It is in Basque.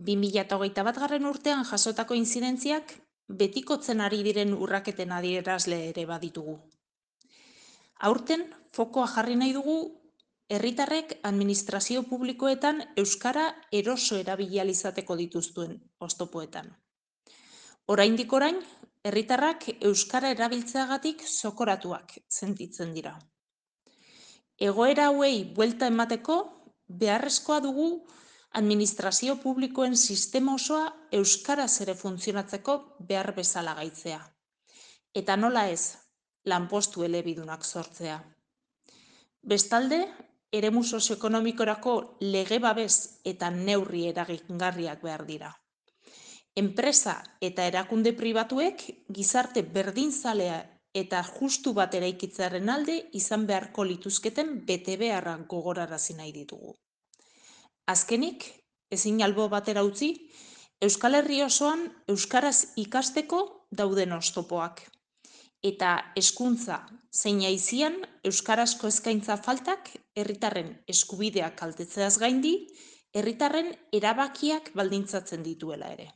2021 urtean jasotako inzidentziak betikotzen ari diren urraketen adierazle ere baditugu. Aurten, fokoa jarri nahi dugu herritarrek administrazio publikoetan euskara eroso erabili ahal izateko dituzten oztopoetan. Oraindik orain, herritarrak euskara erabiltzeagatik zokoratuak sentitzen dira. Egoera hauei buelta emateko, beharrezkoa dugu administrazio publikoen sistema osoa euskaraz ere funtzionatzeko behar bezala gaitzea. Eta nola ez, lanpostu elebidunak sortzea. Bestalde, eremu sozioekonomikorako lege babes eta neurri eragingarriak behar dira. Enpresa eta erakunde pribatuek gizarte berdinzalea eta justu bat eraikitzearen alde izan beharko lituzketen betebeharrak gogorarazi nahi ditugu. Azkenik, ezin albo batera utzi, Euskal Herri osoan euskaraz ikasteko dauden oztopoak. Eta hezkuntza zein aisian euskarazko eskaintza faltak herritarren eskubideak kaltetzeaz gaindi, herritarren erabakiak baldintzatzen dituela ere.